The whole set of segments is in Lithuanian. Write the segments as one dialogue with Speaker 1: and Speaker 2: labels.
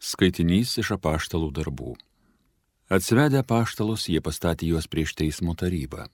Speaker 1: Skaitinys iš apaštalų darbų. Atsivedę apaštalus, jie pastatė juos prieš teismo tarybą.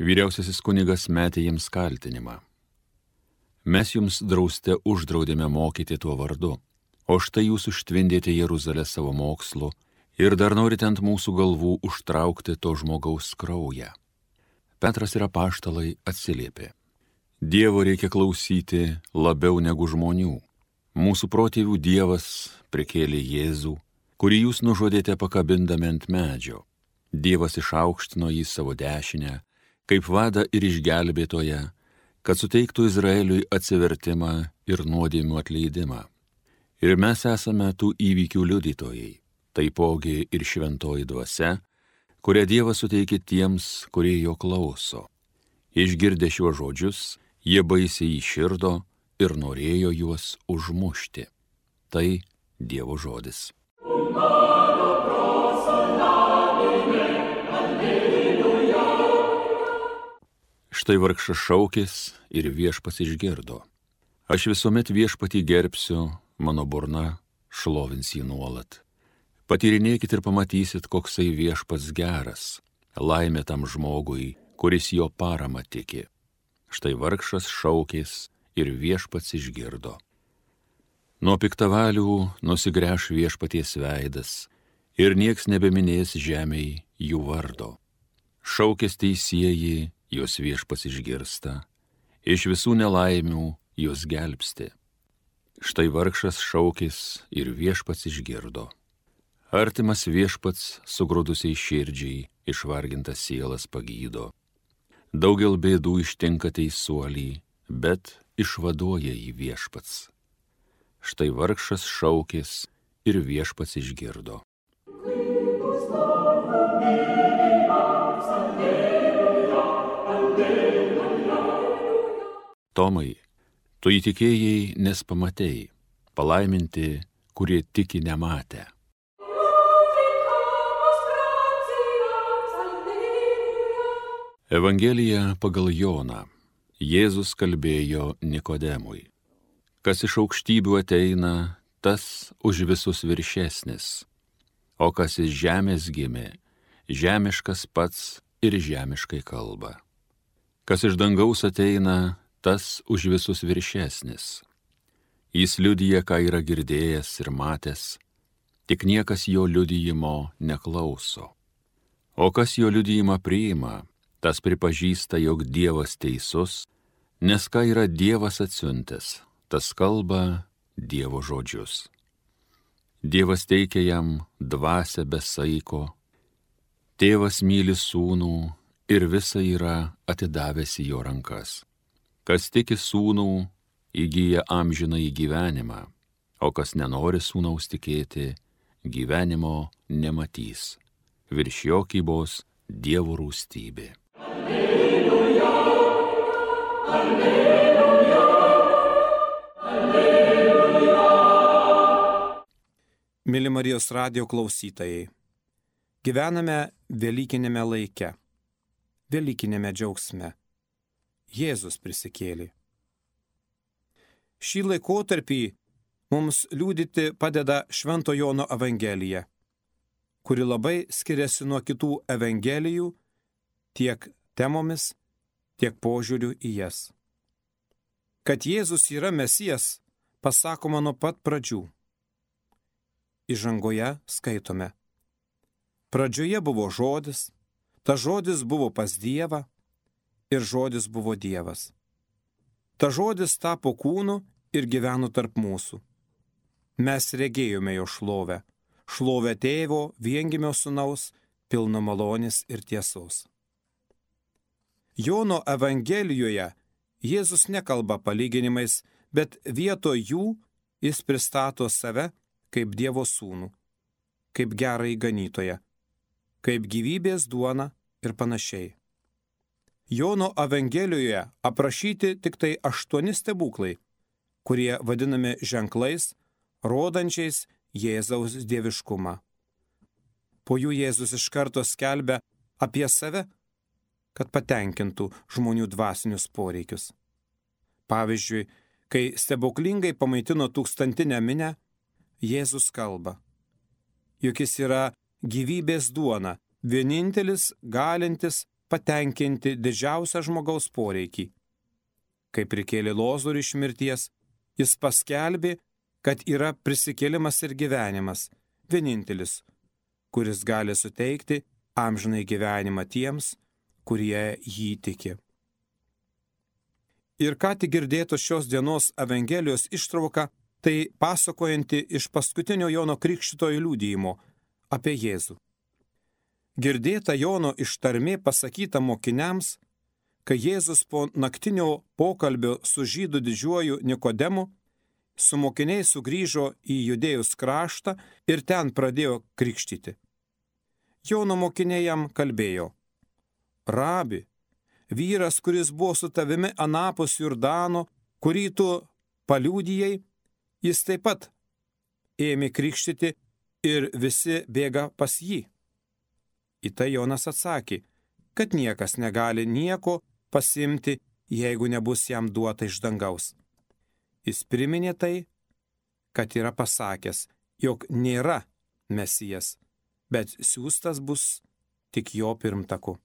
Speaker 1: Vyriausiasis kunigas metė jiems kaltinimą. Mes jums drauste uždraudėme mokyti tuo vardu, o štai jūs užtvindėte Jeruzalę savo mokslu ir dar norite ant mūsų galvų užtraukti to žmogaus kraują. Petras ir apaštalai atsiliepė. Dievo reikia klausyti labiau negu žmonių. Mūsų protėvių Dievas prikėlė Jėzų, kurį jūs nužudėte pakabindami ant medžio. Dievas išaukštino jį savo dešinę, kaip vadą ir išgelbėtoją, kad suteiktų Izraeliui atsivertimą ir nuodėmių atleidimą. Ir mes esame tų įvykių liudytojai, taipogi ir šventoji dvasia, kurią Dievas suteikė tiems, kurie jo klauso. Išgirdę šiuos žodžius, jie baisiai įširdo ir norėjo juos užmušti. Tai Dievo žodis. Štai vargšas šaukės ir Viešpats išgirdo. Aš visuomet Viešpatį gerbsiu, mano burna šlovins jį nuolat. Patyrinėkit ir pamatysit, koksai Viešpats geras, laimė tam žmogui, kuris jo paramą tiki. Štai vargšas šaukės ir Viešpats išgirdo. Nuo piktavalių nusigręš Viešpaties veidas ir nieks nebeminės žemėj jų vardo. Šaukės teisieji, jos Viešpats išgirsta, iš visų nelaimių jos gelbsti. Štai vargšas šaukės ir Viešpats išgirdo. Artimas Viešpats sugrūdusiai širdžiai išvargintas sielas pagydo. Daugel bėdų ištinka teisuolį, bet išvaduoja jį Viešpats. Štai vargšas šaukės ir Viešpats išgirdo. Tomai, tu įtikėjai, nes pamatei, palaiminti, kurie tiki nematę. Evangelija pagal Joną. Jėzus kalbėjo Nikodemui. Kas iš aukštybių ateina, tas už visus viršesnis, o kas iš žemės gimė, žemiškas pats ir žemiškai kalba. Kas iš dangaus ateina, tas už visus viršesnis. Jis liudija, ką yra girdėjęs ir matęs, tik niekas jo liudijimo neklauso. O kas jo liudijimą priima, tas pripažįsta, jog Dievas teisus, nes ką yra Dievas atsiuntęs, tas kalba Dievo žodžius. Dievas teikia jam dvasią be saiko, tėvas myli sūnų ir visa yra atidavęs į jo rankas. Kas tiki sūnų, įgyja amžinąjį gyvenimą, o kas nenori sūnaus tikėti, gyvenimo nematys. Virš jo kybos Dievo rūstybė. Alleluja, alleluja, alleluja.
Speaker 2: Mėly Marijos radijo klausytojai, gyvename velykinėme laike, velykinėme džiaugsme. Jėzus prisikėlė. Šį laikotarpį mums liudyti padeda Švento Jono Evangelija, kuri labai skiriasi nuo kitų evangelijų tiek temomis, tiek požiūriu į jas. Kad Jėzus yra Mesijas, pasakoma nuo pat pradžių. Įžangoje skaitome. Pradžioje buvo žodis, tas žodis buvo pas Dievą ir žodis buvo Dievas. Ta žodis tapo kūnu ir gyveno tarp mūsų. Mes regėjome jo šlovę, šlovę tėvo viengimio sūnaus, pilno malonės ir tiesos. Jono Evangelijoje Jėzus nekalba palyginimais, bet vietoj jų jis pristato save kaip Dievo sūnų, kaip gerąjį ganytoją, kaip gyvybės duoną ir panašiai. Jono Evangelijoje aprašyti tik tai 8 stebuklai, kurie vadinami ženklais, rodančiais Jėzaus dieviškumą. Po jų Jėzus iš karto skelbia apie save, kad patenkintų žmonių dvasinius poreikius. Pavyzdžiui, kai stebuklingai pamaitino 1000 minią, Jėzus kalba, juk jis yra gyvybės duona, vienintelis galintis patenkinti didžiausią žmogaus poreikį. Kai prikėlė Lozorių iš mirties, jis paskelbė, kad yra prisikėlimas ir gyvenimas, vienintelis, kuris gali suteikti amžinai gyvenimą tiems, kurie jį tiki. Ir ką tik girdėtos šios dienos Evangelijos ištrauka, tai pasakojanti iš paskutinio Jono Krikštytojo liudijimo apie Jėzų. Girdėta Jono ištarmė pasakyta mokiniams, kai Jėzus po naktinio pokalbio su žydų didžiuoju Nikodemu su mokiniais sugrįžo į Judėjos kraštą ir ten pradėjo krikštyti. Jono mokiniai jam kalbėjo: Rabi, vyras, kuris buvo su tavimi anapus Jordano, kurį tu paliudijai, jis taip pat ėmė krikštyti ir visi bėga pas jį. Į tai Jonas atsakė, kad niekas negali nieko pasimti, jeigu nebus jam duota iš dangaus. Jis priminė tai, kad yra pasakęs, jog nėra Mesijas, bet siųstas bus tik jo pirmtaku.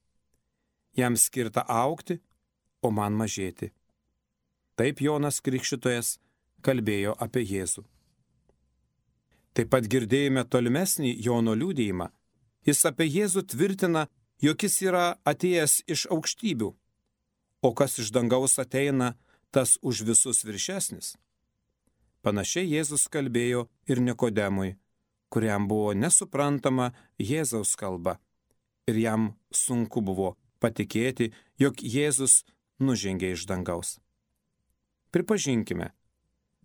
Speaker 2: Jam skirta augti, o man mažėti. Taip Jonas Krikštytojas kalbėjo apie Jėzų. Taip pat girdėjome tolimesnį Jono liudijimą. Jis apie Jėzų tvirtina, jog jis yra atėjęs iš aukštybių, o kas iš dangaus ateina, tas už visus viršesnis. Panašiai Jėzus kalbėjo ir Nikodemui, kuriam buvo nesuprantama Jėzaus kalba, ir jam sunku buvo patikėti, jog Jėzus nužengė iš dangaus. Pripažinkime,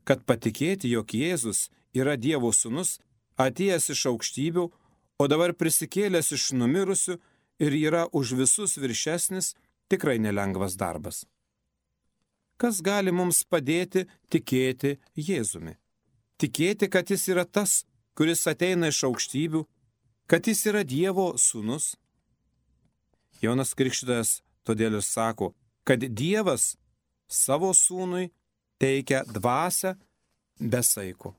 Speaker 2: kad patikėti, jog Jėzus yra Dievo sūnus, atėjęs iš aukštybių, o dabar prisikėlęs iš numirusių ir yra už visus viršesnis, tikrai nelengvas darbas. Kas gali mums padėti tikėti Jėzumi? Tikėti, kad jis yra tas, kuris ateina iš aukštybių, kad jis yra Dievo sūnus? Jonas Krikštytojas todėl ir sako, kad Dievas savo sūnui teikia dvasią be saiko.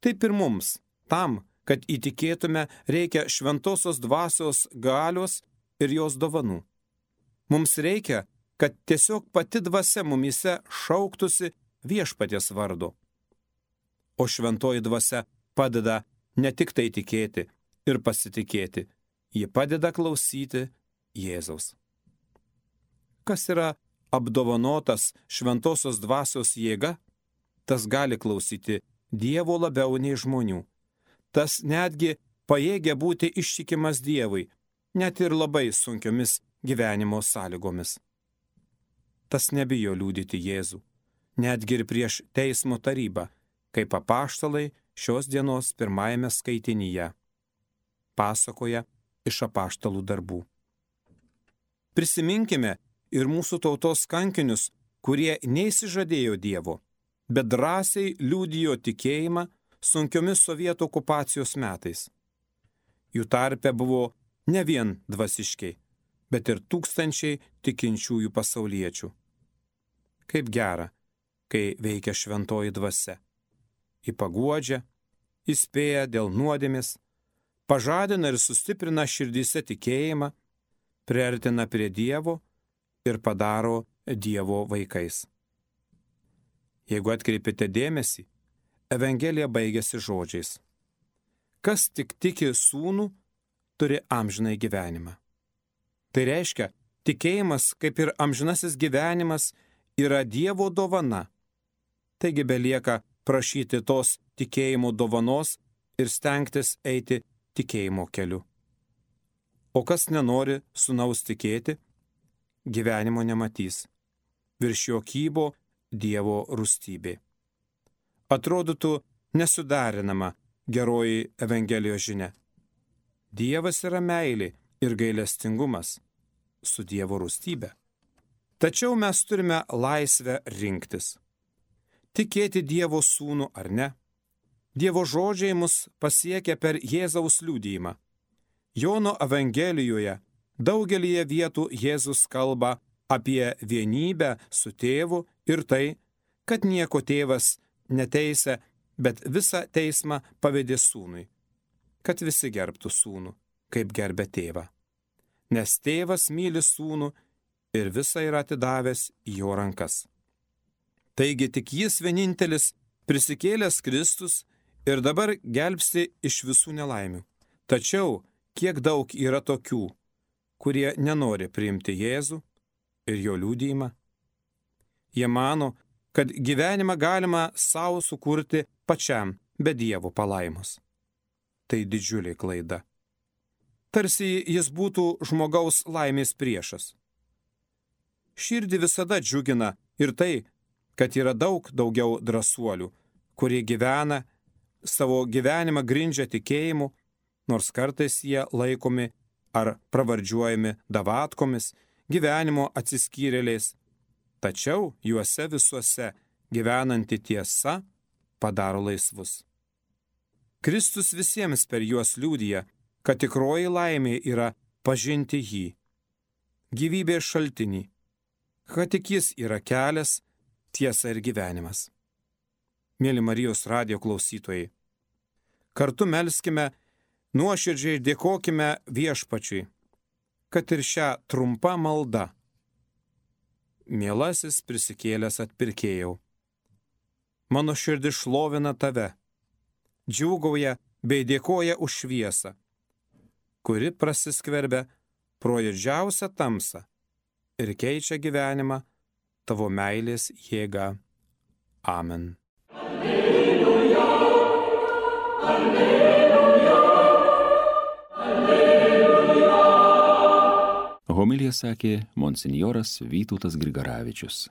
Speaker 2: Taip ir mums, tam, kad įtikėtume, reikia šventosios dvasios galios ir jos dovanų. Mums reikia, kad tiesiog pati dvasia mumyse šauktųsi Viešpaties vardu. O šventoji dvasia padeda ne tik tai tikėti ir pasitikėti, ji padeda klausyti Jėzaus. Kas yra apdovanotas šventosios dvasios jėga, tas gali klausyti Dievo labiau nei žmonių. Tas netgi pajėgia būti ištikimas Dievui, net ir labai sunkiomis gyvenimo sąlygomis. Tas nebijo liudyti Jėzų, netgi ir prieš teismo tarybą, kaip apaštalai šios dienos pirmajame skaitinyje pasakoja iš apaštalų darbų. Prisiminkime ir mūsų tautos kankinius, kurie neįsižadėjo Dievo, bet drąsiai liudijo tikėjimą sunkiomis sovietų okupacijos metais. Jų tarpe buvo ne vien dvasiškiai, bet ir tūkstančiai tikinčiųjų pasauliečių. Kaip gera, kai veikia šventoji dvasia. Ji paguodžia, įspėja dėl nuodėmės, pažadina ir sustiprina širdyse tikėjimą, priartina prie Dievo ir padaro Dievo vaikais. Jeigu atkreipėte dėmesį, Evangelija baigėsi žodžiais: kas tik tiki sūnų, turi amžinai gyvenimą. Tai reiškia, tikėjimas, kaip ir amžinasis gyvenimas, yra Dievo dovana. Taigi belieka prašyti tos tikėjimo dovanos ir stengtis eiti tikėjimo keliu. O kas nenori sūnaus tikėti, gyvenimo nematys. Virš jo kybo Dievo rūstybė. Atrodytų nesudarinama geroji Evangelijos žinia. Dievas yra meilė ir gailestingumas su Dievo rūstybė. Tačiau mes turime laisvę rinktis. Tikėti Dievo sūnų ar ne. Dievo žodžiai mus pasiekia per Jėzaus liudijimą. Jono Evangelijoje daugelyje vietų Jėzus kalba apie vienybę su tėvu ir tai, kad nieko tėvas neteisia bet visą teismą pavedė sūnui, kad visi gerbtų sūnų, kaip gerbė tėvą. Nes tėvas myli sūnų ir visą yra atidavęs į jo rankas. Taigi tik jis vienintelis prisikėlęs Kristus ir dabar gelbsti iš visų nelaimių. Tačiau kiek daug yra tokių, kurie nenori priimti Jėzų ir jo liudijimą. Jie mano, kad gyvenimą galima savo sukurti pačiam be Dievo palaimos. Tai didžiulė klaida. Tarsi jis būtų žmogaus laimės priešas. Širdį visada džiugina ir tai, kad yra daug daugiau drąsuolių, kurie gyvena, savo gyvenimą grindžia tikėjimu, nors kartais jie laikomi ar pravardžiuojami davatkomis, gyvenimo atsiskyrėliais. Tačiau juose visuose gyvenanti tiesa padaro laisvus. Kristus visiems per juos liudija, kad tikroji laimė yra pažinti jį, gyvybės šaltinį, kad tik jis yra kelias, tiesa ir gyvenimas. Mėly Marijos radijo klausytojai, kartu melskime, nuoširdžiai dėkokime Viešpačiui, kad ir šią trumpą maldą. Mielasis prisikėlęs atpirkėjau, mano širdis šlovina tave, džiūgauja bei dėkoja už šviesą, kuri prasiskverbia pro didžiausią tamsą ir keičia gyvenimą tavo meilės jėga. Amen. Alleluja, alleluja, alleluja.
Speaker 1: Homiliją sakė monsinjoras Vytautas Grigaravičius.